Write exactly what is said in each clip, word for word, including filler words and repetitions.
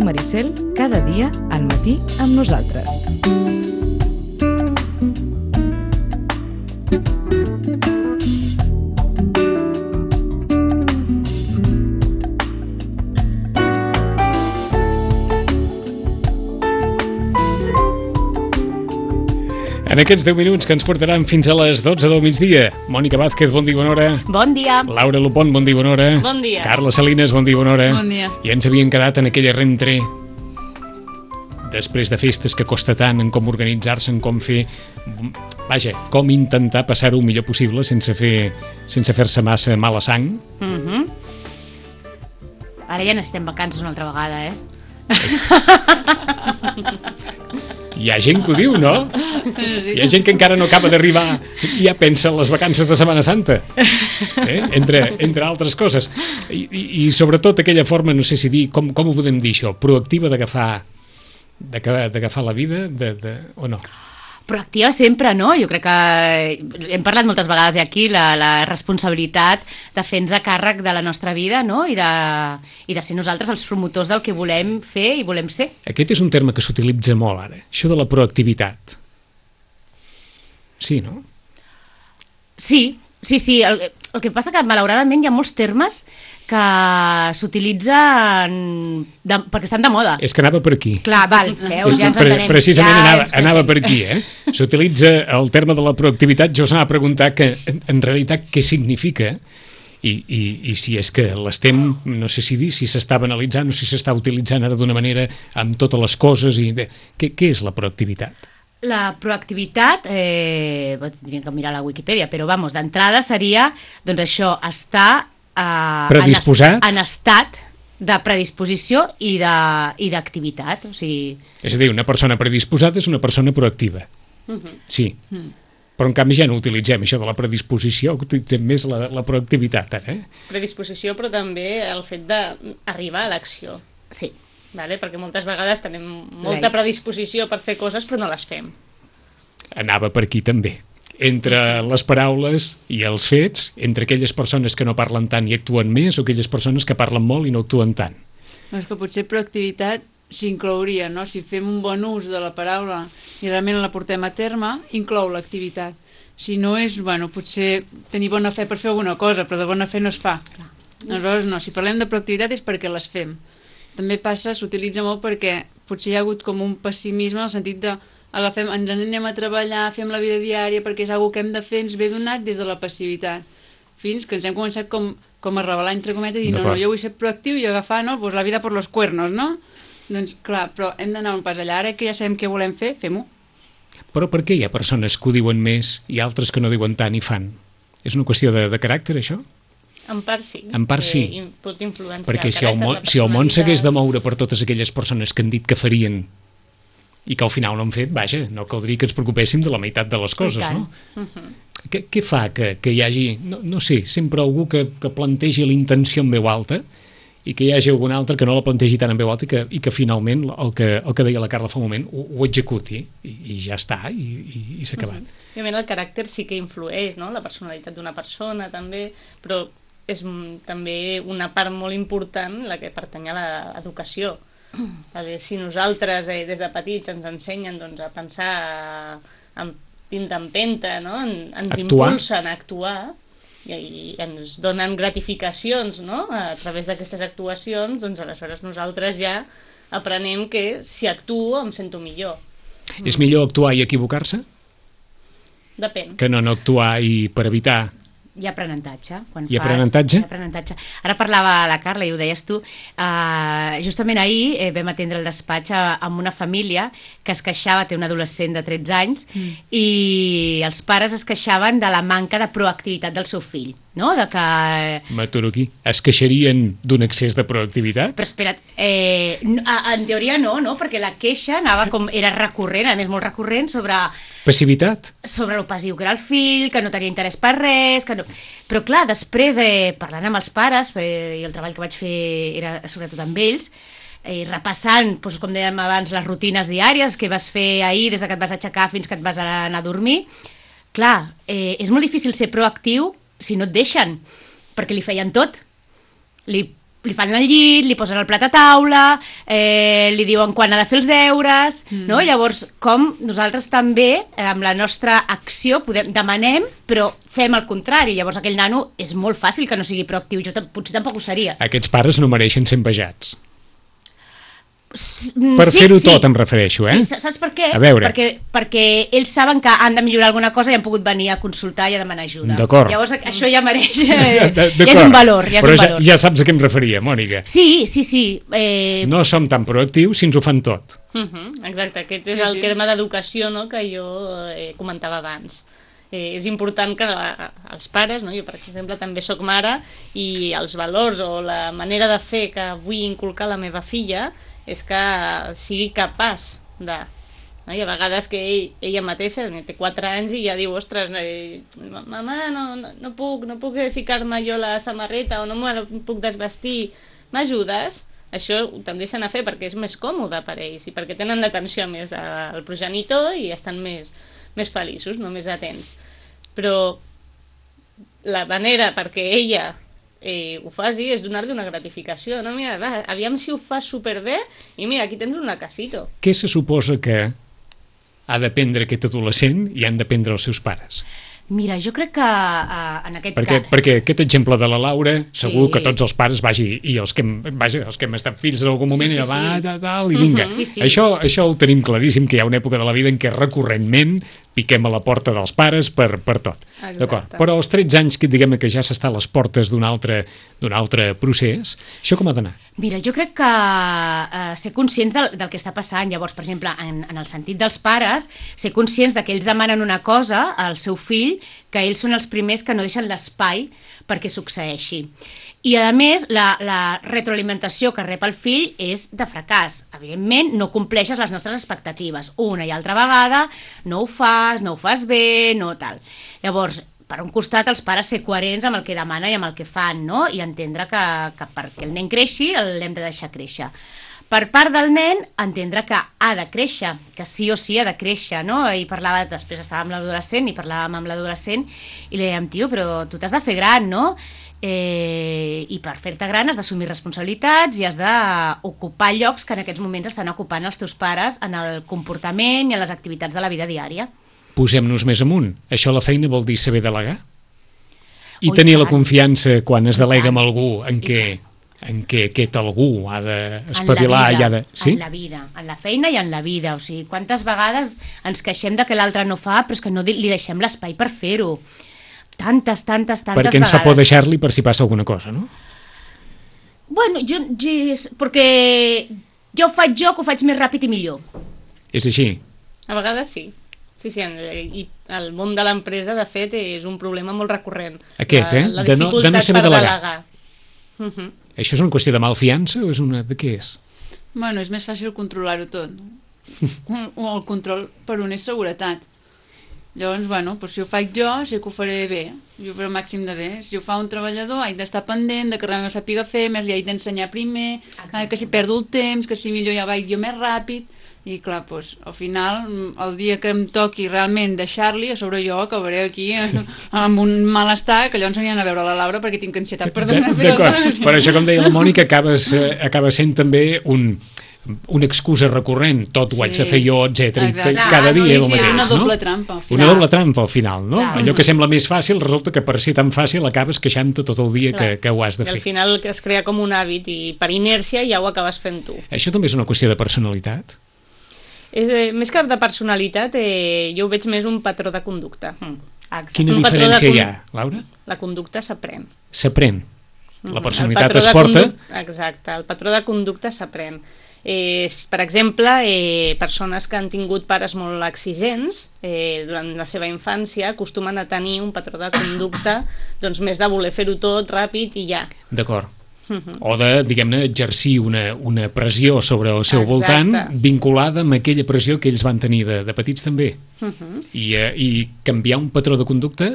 Maricel, cada dia al matí amb nosaltres. En aquests deu minuts que ens portaran fins a les dotze del migdia. Mònica Vázquez, bon dia, bona hora. Bon dia. Laura Lupont, bon dia, bona hora. Bon dia. Carla Salinas, bon dia, bona hora. Bon dia. I ens havíem quedat en aquella rentré després de festes que costa tant en com organitzar-se, en com fer... Vaja, com intentar passar-ho el millor possible sense fer sense fer-se massa mala sang. Mm-hmm. Ara ja n'estem vacances una altra vegada, eh? Hi ha gent que ho diu, no? Hi ha gent que encara no acaba d'arribar i ja pensa en les vacances de Setmana Santa, eh? entre, entre altres coses. I, i, I sobretot aquella forma, no sé si dir, com, com ho podem dir això, proactiva d'agafar d'agafar la vida, de, de, o no? Proactiva sempre, no? Jo crec que hem parlat moltes vegades aquí la, la responsabilitat de fer-nos a càrrec de la nostra vida, no? I de, i de ser nosaltres els promotors del que volem fer i volem ser. Aquest és un terme que s'utilitza molt ara, això de la proactivitat. Sí, no? Sí, sí, sí. El, el que passa que malauradament hi ha molts termes que s'utilitzen de, perquè estan de moda. És que anava per aquí. Clar, val, veus, ja ens Pre entenem. Precisament ja anava, anava per aquí, eh? S'utilitza el terme de la proactivitat. Jo us anava a preguntar que, en, en realitat, què significa i, i, i si és que l'estem, no sé si dir, si s'està banalitzant o si s'està utilitzant ara d'una manera amb totes les coses. I bé, què, què és la proactivitat? La proactivitat, eh, tindríem que mirar la Wikipedia, però vamos, d'entrada seria, doncs això, estar Uh, predisposat? En, en estat de predisposició i d'activitat. O sigui... És a dir, una persona predisposada és una persona proactiva. Uh-huh. Sí. Uh-huh. Però en canvi ja no utilitzem això de la predisposició, utilitzem més la, la proactivitat. Eh? Predisposició, però també el fet d'arribar a l'acció. Sí. Vale? Perquè moltes vegades tenim molta predisposició per fer coses, però no les fem. Anava per aquí també. Entre les paraules i els fets, entre aquelles persones que no parlen tant i actuen més o aquelles persones que parlen molt i no actuen tant. No, és que potser proactivitat s'inclouria, no? Si fem un bon ús de la paraula i realment la portem a terme, inclou l'activitat. Si no és, bueno, potser tenir bona fe per fer alguna cosa, però de bona fe no es fa. Clar. Aleshores, no, si parlem de proactivitat és perquè les fem. També passa, s'utilitza molt perquè potser hi ha hagut com un pessimisme en el sentit de agafem, ens anem a treballar, fem la vida diària perquè és una cosa que hem de fer, ens ve donat des de la passivitat. Fins que ens hem començat com, com a revelar entre cometes i dir, no, no, jo vull ser proactiu i agafar, no, pues la vida per los cuernos, no? Doncs clar, però hem d'anar un pas allà, ara que ja sabem què volem fer, fem-ho. Però per què hi ha persones que ho diuen més i altres que no diuen tant i fan? És una qüestió de, de caràcter, això? En part sí. En part sí. Eh, pot influenciar perquè el si el, món, si el món s'hagués de moure per totes aquelles persones que han dit que farien i que al final no han fet, vaja, no caldria que ens preocupéssim de la meitat de les coses, no? Uh-huh. Què, què fa que, que hi hagi, no, no sé, sempre algú que, que plantegi l'intenció en veu alta i que hi hagi algun altre que no la plantegi tant en veu alta i que, i que finalment, el que, el que deia la Carla fa un moment, ho, ho executi i, i ja està, i, i, i s'ha acabat. Uh-huh. Òbviament el caràcter sí que influeix, no? La personalitat d'una persona també, però és també una part molt important la que pertany a l'educació. A veure, si nosaltres eh, des de petits ens ensenyen doncs, a pensar amb tinta empenta, no? En, ens actuar. impulsen a actuar i, i ens donen gratificacions, no? A través d'aquestes actuacions, doncs aleshores nosaltres ja aprenem que si actuo em sento millor. És millor actuar i equivocar-se? Depèn. Que no no actuar i per evitar... Hi ha aprenentatge. Quan Hi ha fas, aprenentatge? Hi ha aprenentatge. Ara parlava la Carla i ho deies tu. Uh, justament ahir eh, vam atendre el despatx a, amb una família que es queixava, té un adolescent de tretze anys, mm. i els pares es queixaven de la manca de proactivitat del seu fill. no? De que... M'aturo aquí. Es queixarien d'un excés de proactivitat? Però espera't, eh, en teoria no, no? Perquè la queixa anava com... era recurrent, a més molt recurrent, sobre... Passivitat? Sobre l'opassiu que era el fill, que no tenia interès per res... Que no... Però clar, després, eh, parlant amb els pares, eh, i el treball que vaig fer era sobretot amb ells, eh, repassant, doncs, com dèiem abans, les rutines diàries que vas fer ahir, des que et vas aixecar fins que et vas anar a dormir, clar, eh, és molt difícil ser proactiu si no et deixen, perquè li feien tot. Li, li fan el llit, li posen el plat a taula, eh, li diuen quan ha de fer els deures, mm. no? Llavors, com nosaltres també, amb la nostra acció, podem, demanem, però fem el contrari. Llavors, aquell nano és molt fàcil que no sigui proactiu. Jo potser tampoc ho seria. Aquests pares no mereixen ser envejats. Mm, per sí, fer-ho sí. tot em refereixo, eh? Sí, saps per què? A veure. Perquè, perquè ells saben que han de millorar alguna cosa i han pogut venir a consultar i a demanar ajuda. D'acord. Llavors això ja mereix... Eh, ja és un valor, ja és Però un valor. Ja, ja saps a què em referia, Mònica. Sí, sí, sí. Eh... No som tan proactius si ens ho fan tot. Uh -huh, exacte, aquest és Sí, el sí. terme d'educació, no?, que jo eh, comentava abans. Eh, és important que la, els pares, no? Jo per exemple també sóc mare, i els valors o la manera de fer que vull inculcar a la meva filla és que sigui capaç de... No? I a vegades que ell, ella mateixa té quatre anys i ja diu, ostres, eh, mamà, no, no, no puc, no puc ficar-me jo la samarreta o no me puc desvestir, m'ajudes? Això ho tendeixen a fer perquè és més còmode per ells i perquè tenen l'atenció més del progenitor i estan més, més feliços, no? Més atents. Però la manera perquè ella eh, ho faci és donar-li una gratificació, no? Mira, va, aviam si ho fas superbé i mira, aquí tens un lacasito. Què se suposa que ha d'aprendre aquest adolescent i han d'aprendre els seus pares? Mira, jo crec que uh, en aquest Perquè, cas... perquè aquest exemple de la Laura, segur Sí. que tots els pares, vagi, i els que, hem, vaja, els que hem estat fills en algun moment, Sí, sí, ja va, sí. tal, tal, i vinga. Mhm, sí, sí. Això, això ho tenim claríssim, que hi ha una època de la vida en què recurrentment piquem a la porta dels pares per, per tot. Exacte. D'acord? Però als tretze anys, que diguem que ja s'està a les portes d'un altre, d'un altre procés, això com ha d'anar? Mira, jo crec que uh, ser conscients del, del que està passant. Llavors, per exemple, en, en el sentit dels pares, ser conscients de que ells demanen una cosa al seu fill, que ells són els primers que no deixen l'espai perquè succeeixi. I, a més, la, la retroalimentació que rep el fill és de fracàs. Evidentment, no compleixes les nostres expectatives. Una i altra vegada, no ho fas, no ho fas bé, no tal. Llavors, per un costat, els pares ser coherents amb el que demanen i amb el que fan, no? I entendre que, que perquè el nen creixi l'hem de deixar créixer. Per part del nen, entendre que ha de créixer, que sí o sí ha de créixer, no? I parlava, després estàvem amb l'adolescent i parlàvem amb l'adolescent i li dèiem, tio, però tu t'has de fer gran, no? Eh, i per fer-te gran has d'assumir responsabilitats i has d'ocupar llocs que en aquests moments estan ocupant els teus pares en el comportament i en les activitats de la vida diària. Posem-nos més amunt. Això la feina vol dir saber delegar? I Oh, i tenir la tant. confiança quan es I delega tant. amb algú en I què, en què aquest algú ha En d'espavilar la i ha vida, de... Sí? En la vida, en la feina i en la vida. O sigui, quantes vegades ens queixem de que l'altre no fa, però és que no li deixem l'espai per fer-ho. Tantes, tantes, tantes Perquè ens vegades. fa por deixar-li per si passa alguna cosa, no? Bueno, jo, jo, perquè jo ho faig jo, que ho faig més ràpid i millor. És així. A vegades sí. Sí, sí, en- i el món de l'empresa, de fet, és un problema molt recurrent. Aquest, eh? La, la De no- de no dificultat saber per delegar. delegar. Uh -huh. Això és una qüestió de malfiança o és una... de què és? Bueno, és més fàcil controlar-ho tot. No? O el control per un és seguretat. Llavors, bueno, doncs si ho faig jo, sé que ho faré bé. Jo ho faré el màxim de bé. Si ho fa un treballador, haig d'estar pendent, de que realment ho sàpiga fer, més li haig d'ensenyar primer, Exacte. que si perdo el temps, que si millor ja vaig jo més ràpid. I clar, doncs, al final, el dia que em toqui realment deixar-li, a sobre jo acabaré aquí amb un malestar, que llavors aniran a veure la Laura perquè tinc ansietat per donar fer les D'acord, dones. per això, com deia la Mònica, acabes, eh, acaba sent també un, una excusa recurrent, tot ho Sí. haig de fer jo, etcètera. Exacte. I cada dia Sí, és el sí, mateix, una no? doble trampa, al final. Una doble trampa al final, no? Clar. Allò que sembla més fàcil resulta que per ser tan fàcil acabes queixant-te tot el dia que, Clar. que ho has de I al fer. final que es crea com un hàbit i per inèrcia ja ho acabes fent tu. Això també és una qüestió de personalitat? És, eh, més que de personalitat, eh, jo ho veig més un patró de conducta. Mm. Exacte. Quina Un patró de diferència hi con- ha, Laura? La conducta s'aprèn. S'aprèn. La Mhm. personalitat El patró es de porta... conduc- Exacte, el patró de conducta s'aprèn. Eh, s- per exemple, eh, persones que han tingut pares molt exigents eh, durant la seva infància acostumen a tenir un patró de conducta doncs més de voler fer-ho tot ràpid i ja. D'acord. O de, diguem-ne, exercir una, una pressió sobre el seu Exacte. voltant vinculada amb aquella pressió que ells van tenir de, de petits també. Uh -huh. I, eh, I canviar un patró de conducta...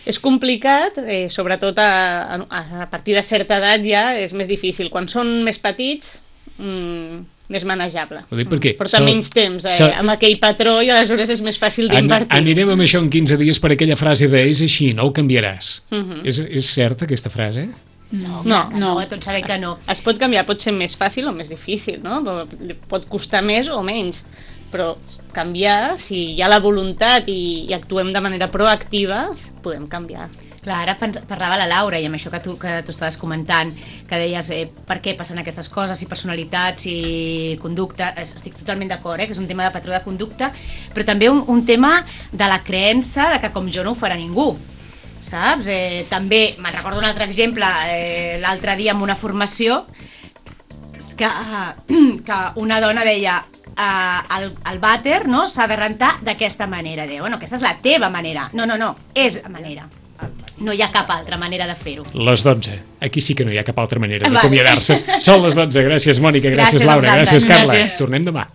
És complicat, eh, sobretot a, a, a partir de certa edat ja és més difícil. Quan són més petits, mmm, més manejable. Ho dic perquè... Porta so, menys temps eh, so, amb aquell patró i aleshores és més fàcil an, d'invertir. Anirem amb això en quinze dies per aquella frase de és així, no ho canviaràs. Uh -huh. és, és certa aquesta frase? No, No, no, no. tots sabem que no. Es pot canviar, pot ser més fàcil o més difícil, no? Pot costar més o menys, però canviar, si hi ha la voluntat i, i actuem de manera proactiva, podem canviar. Clar, ara parlava la Laura i amb això que tu, que tu estaves comentant, que deies eh, per què passen aquestes coses, si personalitat, si conducta, estic totalment d'acord, eh, que és un tema de patró de conducta, però també un, un tema de la creença de que com jo no ho farà ningú, saps? Eh, també, me'n recordo un altre exemple, eh, l'altre dia en una formació, que, eh, que una dona deia eh, el, el vàter, no, s'ha de rentar d'aquesta manera. Deia, bueno, aquesta és la teva manera. No, no, no, és la manera. No hi ha cap altra manera de fer-ho. Les dotze. Aquí sí que no hi ha cap altra manera Vale. d'acomiadar-se. Són les dotze. Gràcies, Mònica. Gràcies, Gràcies a Laura. vosaltres. Gràcies, Carla. Gràcies. Tornem demà.